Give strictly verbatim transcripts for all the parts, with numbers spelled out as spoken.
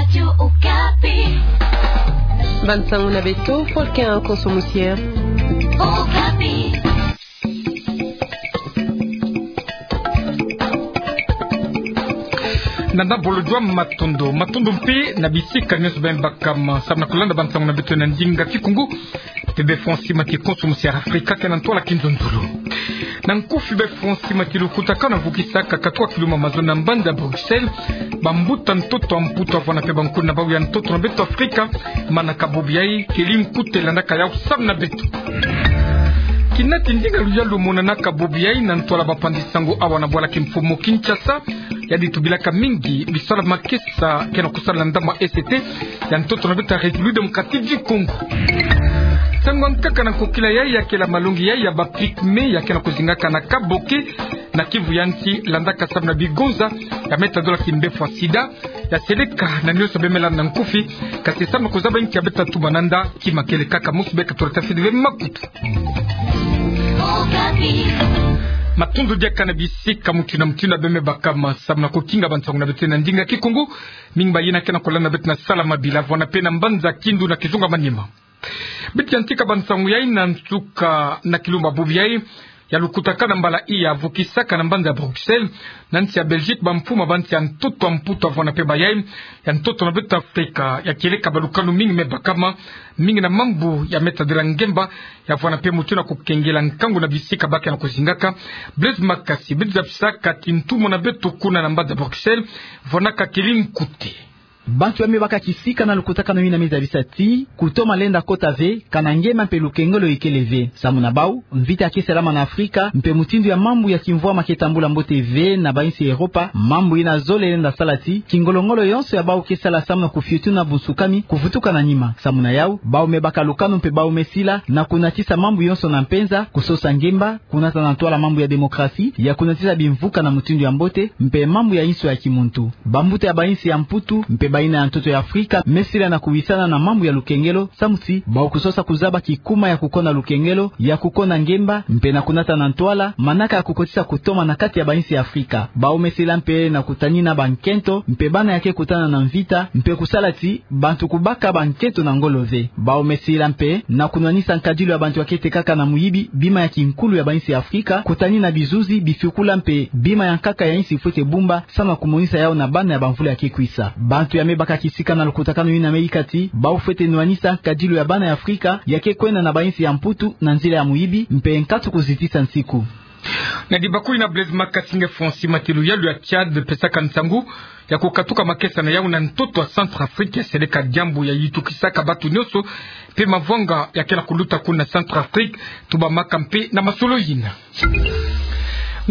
Radio Okapi. Bansango na beto, Volcan Konso Musier. Okapi. Nana bolojwa matondo, matondo mpe na bisika nyonso beno baka ma samu na kulanda bansango na beto na ndinga Kikongo. Mpe befo nsi mati Konso Musier Afrika ke na ntwala kinzonzolo. Na nkufi befo nsi mati lukutakanu vukisaka katuka kiluma mazono na mbanza Bruxelles, bambuta ntoto a Mputu avwana mpe bankuna bau ya ntoto na beto Afrika, manaka bobo yai, keli nkute landaka yau samu na beto. Kinati ndinga luyalu monanaka bobo yai na ntwala bapanzi sango awa na bwala kimfumu Kinshasa, yadi tubilaka mingi bisala makesa ke na kusala na ndambu a E C T ya ntoto na beto ya République Démocratique du Congo. Nsangu ya nkaka na nkokila yai ya kela malongi yai ya ba pygmées ya ke na kuzingaka na Kaboke, na Kivu ya nsi, landaka samu na bigonza ya me tadula kimbefo ya sida, ya seleka na nyonso beno me landa na nkufi, kasi samu na kuzaba nki ya beta tuba na nda, kima kele kaka mosi, beka tula tafidi ve makutu. Matondo diaka na bisika mutindu na mutindu beno me baka ma samu na kukinga bansango na beto na ndinga Kikongo. Mingi bayina ke na kulanda beto na Salamabila, vwanda mpe na mbanza Kindu na Kizunga Maniema. Beto yantika bansango yai na nsuka na kilumbu bobo yai ya lukutakanu mbala iya vukisaka na mbanza Bruxelles, na nsi ya Belgique, bamfumu ba nsi ya ntoto a Mputu avwanda mpe bayai ya ntoto na beto Afrika, ya kieleka balukanu mingi me baka ma, mingi na mambu ya me tadila ngemba, ya vwanda mpe mutindu na kukengela nkangu na bisika ba ke na kuzingaka. Blaise Makasi, beto zabisaka ti ntumwa na beto kuna na mbanza Bruxelles, vwandaka keli nkute. Bantu ya me baka kisika na lukutakanu yina me zabisa ti kutoma lenda kota ve, kana ngemba mpe lukengelo ikele ve. Samu na bau, mvita ke salama na Afrika, mpe mutindu ya mambu ya kimvwama ke tambula mbote ve na bainsi ya Europa, mambu yina zole lenda sala ti kingolongolo yonso ya bau ke sala samu na kufiotuna bunsukami kuvutuka na nima. Samu na yau, bau me baka lukanu mpe bau me sila na kunatisa mambu yonso na mpenza, kusosa ngemba, kunata na ntwala mambu ya démocratie, ya kunatisa bimvuka na mutindu ya mbote, mpe mambu ya inso ya kimuntu. Bambuta ya bainsi ya Mputu mpe bayina ya ntoto ya Afrika me sila na kuwisana na mambu ya lukengelo, samu ti bau kusosa kuzaba kikuma ya kukona lukengelo, ya kukona ngemba, mpe na kunata na ntwala manaka ya kukotisa kutoma na kati ya bainsi ya Afrika. Bau me sila mpe na kutanina bankento mpe bana ya ke kutana na mvita, mpe kusala ti bantu kubaka bankento na ngolo ve. Bau me sila mpe na kunwanisa nkadilu ya bantu ya ke tekaka na muyibi bima ya kinkulu ya bainsi ya Afrika, kutanina bizuzi, bifiukula mpe bima ya nkaka ya insi fwete bumba, samu na kumonisa yau na bana ya bamvula ya ke kwisa. Bantu ya me baka kisika na lukutakanu yina me yika ti bau fwete nwanisa nkadilu ya bana ya Afrika ya ke kwenda na bainsi ya Mputu na nzila ya muyibi, mpe nkatu kuzitisa nsiku. Na dibakuli na Blaise Makasi, nge fo nsi mati luyalu ya Tchad pesaka nsangu ya kukatuka makesa na yau na ntoto a Centrafrique, ya seleka diambu ya yitukisaka bantu nyonso, mpe mavwanga ya ke na kuluta kuna Centrafrique, tubamaka mpe na masolo yina.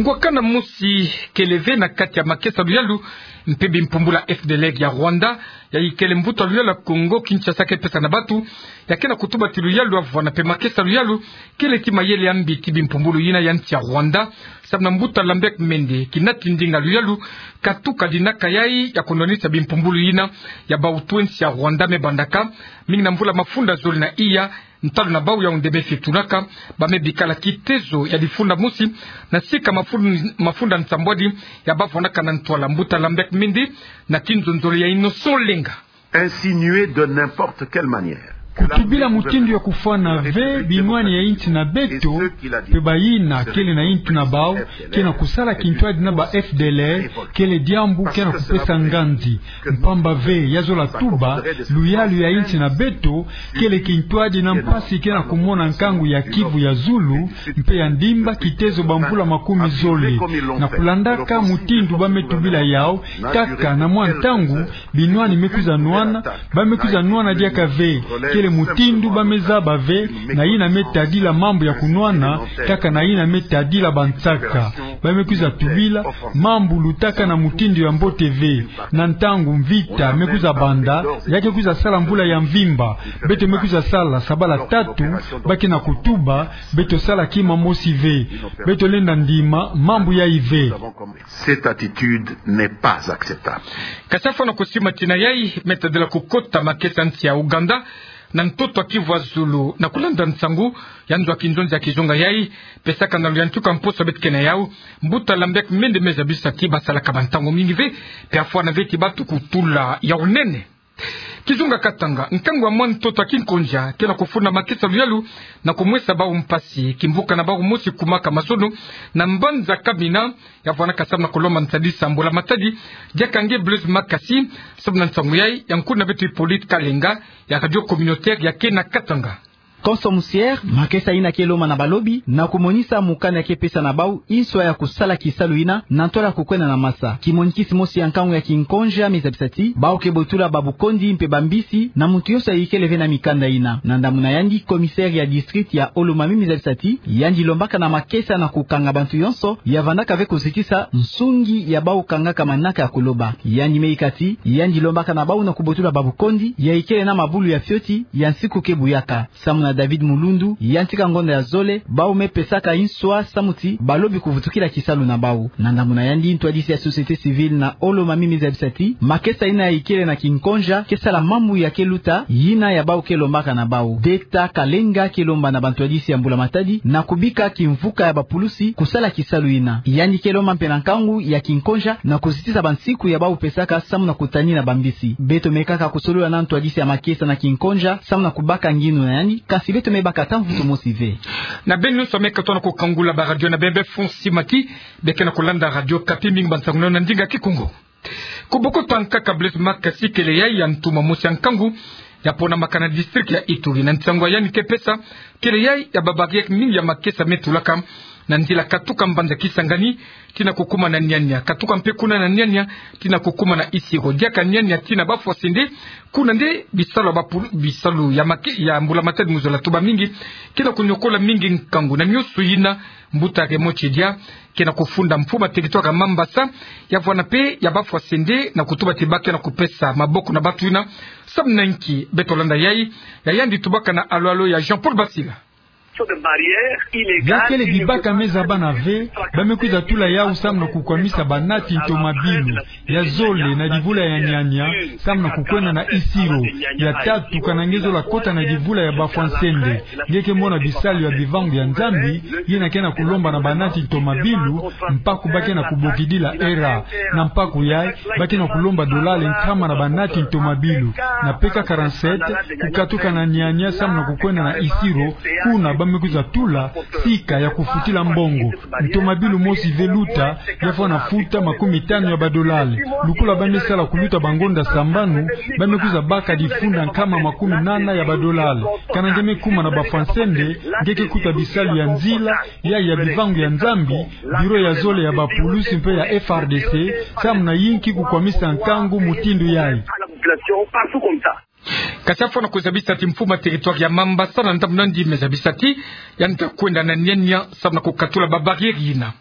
Ngwakana mosi kele ve na kati ya makesa luyalu mpe bimpumbulu ya F D L R ya Rwanda, ya ikele mbuta luyalu ya Congo Kinshasa ke pesa na bantu, ya ke na kutuba ti luyalu ya vwanda mpe makesa luyalu kele ti mayele ya mbi ti bimpumbulu yina ya nsi ya Rwanda, samu na mbuta Lambert Mende, kinati ndinga luyalu katuka dinaka yai ya kunwanisa bimpumbulu yina ya bautu ya nsi ya Rwanda me bandaka, mingi na mvula mafunda zole na iya, ntalu na bau yau nde me fiotulaka, ba me bikala kitezo ya difunda mosi, na sika mafun-, mafunda nsambwadi ya bavwandaka na ntwala. Mbuta Lambert Mende, na kinzonzolo ya Innocent Olenga. Insinuer de n'importe quelle manière. Kutubila mutindu ya kufwana ve binwani ya insi na beto, mpe bayina kele na intu na bau ke na kusala kintwadi na ba F D L R, kele diambu ke na kupesa nganzi. Mpamba ve, ya zola tuba, luyalu ya insi na beto kele kintwadi na mpasi ke na kumona nkangu ya Kivu ya zulu mpe ya ndimba kitezo bamvula makumi zole. Na kulandaka mutindu ba me tubila yau, kaka na mwa ntangu binwani me kwiza nwana, ba me kwiza nwana diaka ve, kele mutindu ba me zaba ve na yina me tadila mambu ya kunwana, kaka na yina me tadila bansaka. Ba me kwiza tubila mambu lutaka na mutindu ya mbote ve. Na ntangu mvita me kwiza banda, ya ke kwiza sala mvula ya mvimba, beto me kwiza sala sabala tatu, ba ke na kutuba, beto sala kima mosi ve. Beto lenda ndima mambu yai ve. Cette attitude n'est pas acceptable. Kasi fwana kusimatina yai, me tadila kukota makesa nsi ya Ouganda, na ntoto a Kivu ya zulu, na kulanda nsangu ya nzo ya kinzonzi ya kizunga yai pesaka na luyantika mposo beto ke na yau, mbuta Lambert Mende me zabisa ti ba salaka ba ntangu mingi ve, mpe afwana ve ti bantu kutula yau nene. Kizunga Katanga, nkangu wa mwa ntoto ya kinkonja ke na kufunda makesa luyalu na kumwesa bawu mpasi. Kimvuka na bawu mosi kumaka mazono na mbanza Kamina, ya vwanaka samu na kulomba nsadisa mbula matadi, diaka nge Blaise Makasi, samu na nsangu yayi ya nkuna beto Hippolyte Kalenga, ya Radio Communautaire ya kena Katanga. Konso musiere, makesa yina ke lomba na balobi, na kumonisa mukanda ke pesa na bawu inswa ya kusala kisalu yina, na ntwala kukwenda na masa. Kimonikisi mosi ya nkangu ya kinkonja me zabisa ti, bawu ke botula babukondi mpe bambisi, na muntu yonso yayikele ve na mikanda yina. Na ndambu na yandi, commissaire ya district ya Olomami me zabisa ti, yandi lombaka na makesa na kukanga bantu yonso, ya vandaka ve kuzitisa nsungi ya bawu kangaka manaka ya kuloba. Yandi me yika ti, yandi lombaka na bawu na kubotula babukondi, yayikele na mabulu ya fioti, ya nsiku ke buyaka. Samu na David Mulundu, yantika ngonda ya zole, bawu me pesaka inswa samu ti balobi kuvutukila kisalu na bawu. Na ndambu na yandi, ntwadisi ya société civile na Olomami me zabisa ti, makesa yina yayikele na kinkonja ke sala mambu ya ke luta, yina ya bawu ke lombaka na bawu. Deta Kalenga ke lomba na bantwadisi ya mbula matadi na kubika kimvuka ya bapulusi kusala kisalu yina. Yandi ke lomba mpe na nkangu ya kinkonja na kuzitisa bansiku ya bawu pesaka samu na kutanina bambisi. Beto me kaka kusolola na ntwadisi ya makesa na kinkonja samu na kubaka ngindu na yandi, kasi beto me baka ata mvutu mosi ve. Na beno yonso me katuka na kukangula ba radio na bembe, fon simaki, beke na kulanda Radio Okapi, mingi ba nsangu na yo na ndinga Kikongo. Kubokota nkaka Blaise Makasi kele yayi ya ntumwa mosi ya nkangu ya ponamaka na district ya Ituri. Na nsangu ya yandi ke pesa, kele yayi ya ba barrière mingi ya makesa me tulaka na nzila katuka mbanza Kisangani tii na kukuma na Niania, katuka mpe kuna na Niania tii na kukuma na Isiro, diaka Niania tii na Bafwasende. Kuna nde bisalu ya bapulu-, bisalu ya make-, ya mbula matadi mu zola tuba mingi ke na kunyokola mingi nkangu. Na nionso yina, mbuta Raymond Tshedja ke na kufunda mfumu ya territoire ya Mambasa, ya vwana mpe ya Bafwasende, na kutuba ti ba ke na kupesa maboko na bantu yina samu na nki. Beto landa yayi ya yandi tubaka na alo-alo ya Jean-Paul Basila. Bia kele bibaka me zabana ve, ba me kwiza tula yawu samu na kukwamisa banati ntomabilu ya zole na divula ya Niania samu na kukwenda na Isiro. Ya tatu, kana nge zola kota na divula ya Bafwasende, nge ke mona bisalu ya bivangu ya Nzambi, yina ke na kulomba na banati ntomabilu, mpaku ba ke na kubokidila era. Na mpaku yayi, ba ke na kulomba dolale nkama na banati ntomabilu. Na P K quarante-sept, kukatuka na Niania samu na kukwenda na Isiro, kuna ba me kwiza tula sika ya kufutila mbongo. Ntomabilu mosi ve luta, ya fwana futa makumi tanu ya badolale. Lukula ba me sala kuluta bangonda sambanu, ba me kwiza baka difunda nkama makumi nana ya badolale. Kana nge me kuma na Bafwasende, nge ke kuta bisalu ya nzila, ya, ya bivangu ya Nzambi, biro ya zole ya bapulusi mpe ya F R D C, samu na yinki kukwamisa nkangu mutindu yayi. Kasi afwana kuzabisa ti mfumu ya territoire ya Mambasa na ndambu na yandi me zabisa ti yandi ta kwenda na Niania samu na kukatula ba barrière yina.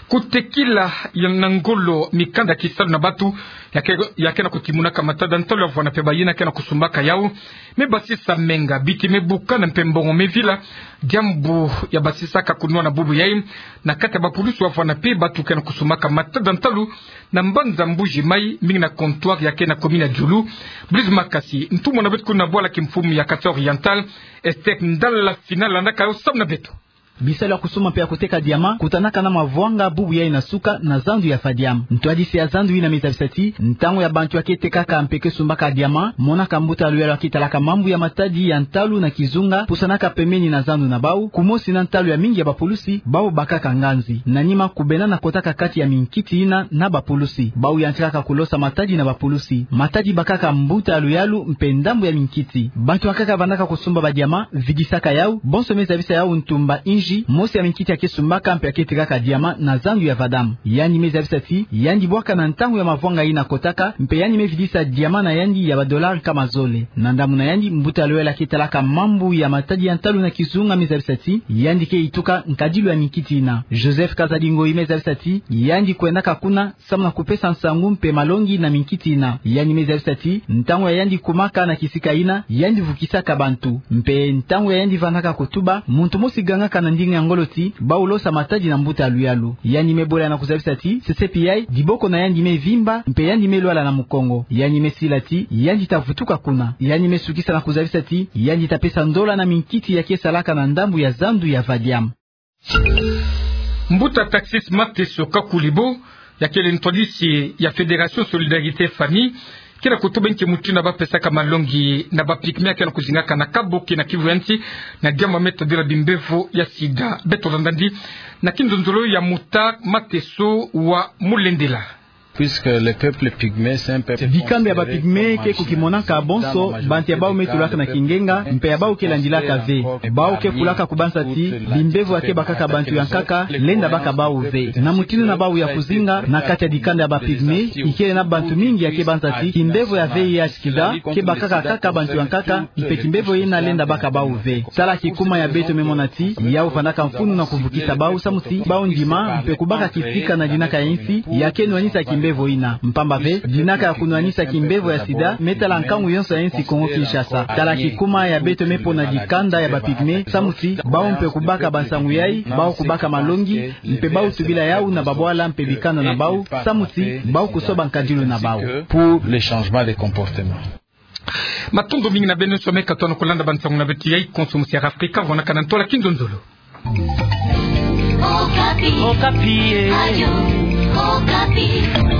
Kutekila ya na ngolo mikanda kisalu na bantu ya ke, ya ke na kutimunaka matada ntalu ya vwana mpe bayina ke na kusumbaka yawu, me basisa menga, biti me bukana mpe mbongo me vila, diambu ya basisaka kunwana bubu yayi na kati ya bapulusi wa vwana mpe bantu ke na kusumbaka matada ntalu na mbanza Mbuji-Mayi, mingi na comptoir ya ke na commune ya Diulu. Blaise Makasi, ntumwa na beto kuna bwala kimfumu ya Kasaï Oriental, Esther Ndala Fina, landaka yo samu na beto. Bisalu ya kusumba mpe ya kuteka diamant kutanaka na Mavwanga bubu yayi na suka na zandu ya Fadiam. Ntwadisi ya zandu yina me zabisa ti, ntangu ya bantu ya ke tekaka mpe ke sumbaka diamant, monaka mbuta ya luyalu ya ke talaka mambu ya matadi ya ntalu na kizunga, pusanaka pembeni na zandu na bawu, kumosi na ntalu ya mingi ya bapulusi, bawu bakaka nganzi. Na nima kubena na kotaka kati ya minkiti yina na bapulusi. Bawu yantikaka kulosa matadi na bapulusi. Matadi bakaka mbuta ya luyalu mpe ndambu ya minkiti. Bantu ya nkaka vandaka kusumba ba diamant, vidisaka yawu, bonso me zabisa yawu ntumba inji, mosi ya minkiti ya ke sumbaka mpe ya ke tekaka diamant na zandu ya Fadiam. Yandi me zabisa ti, yandi bwaka na ntangu ya Mavwanga yina kotaka, mpe yandi me vidisa diamant na yandi ya ba dollars nkama zole. Na ndambu na yandi, mbuta ya luyalu ya ke talaka mambu ya matadi ya ntalu na kizunga me zabisa ti, yandi ke yituka nkadilu ya minkiti yina. Joseph Kazadi Ngoyi me zabisa ti, yandi kwendaka kuna samu na kupesa nsangu mpe malongi na minkiti yina. Yandi me zabisa ti, ntangu ya yandi kumaka na kisika yina, yandi vukisaka bantu. Mpe ntangu ya yandi vandaka kutuba, muntu mosi gangaka na ndinga ya ngolo ti, bawu losa matadi na mbuta ya luyalu. Yandi me bola na kuzabisa ti, sesepi yayi, diboko na yandi me vimba, mpe yandi me lwala na mukongo. Yandi me sila ti, yandi ta vutuka kuna. Yandi me sukisa na kuzabisa ti, yandi ta pesa ndola na minkiti ya ke salaka na ndambu ya zandu ya Fadiam. Mbuta taxis Mateso Kakulibo, ya kele ntwadisi ya Fédération Solidarité Famille, ke na kutuba nki mutindu ya bapesaka malongi na ba pygmées ya ke na kuzingaka na Kabuki na Kivu ya Nsi, na diambu ya me tadila bimbevo ya sida. Beto landa ndi na kinzonzolo ya Muta Mateso wa Mulendela. Puisque le peuple pygmée, c'est un peuple... Dikanda ya ba pygmées ke kukimonaka bonso bantu ya bawu me tulaka na kingenga, mpe ya bawu ke landilaka ve. Bawu ke kulaka kubanza ti bimbevo ya ke bakaka bantu ya nkaka lenda baka bawu ve. Na mutindu na bawu ya kuzinga na kati ya dikanda ya ba pygmées, ikele na bantu mingi ya ke banza ti kimbevo ya V I H sida ke bakaka kaka bantu ya nkaka, mpe kimbevo yina lenda baka bawu ve. Tala kikuma ya beto me mona ti yawu vandaka mfunu na kuvukisa bawu samu ti bawu ndima mpe kubaka kisika na dinaka ya nsi ya ke nwanisa kimbevo yina. Mpamba ve, dinaka ya kunwanisa kimbevo ya sida me tala nkangu yonso ya nsi Kongo Kinshasa. Tala kikuma ya beto me pona dikanda ya ba pygmées samu ti bawu mpe kubaka bansangu yayi, bawu kubaka malongi, mpe bawu tubila yawu na babwala mpe bikanda na bawu, samu ti bawu kusoba nkadilu na bawu. Pour le changement de comportement. Matondo mingi na beno nyonso ya me katuka na kulanda bansangu na beto ya Konso Musi ya Afrika, vwanda kana ntola kinzonzolo. Okapi. Okapi, eh. Radio Okapi.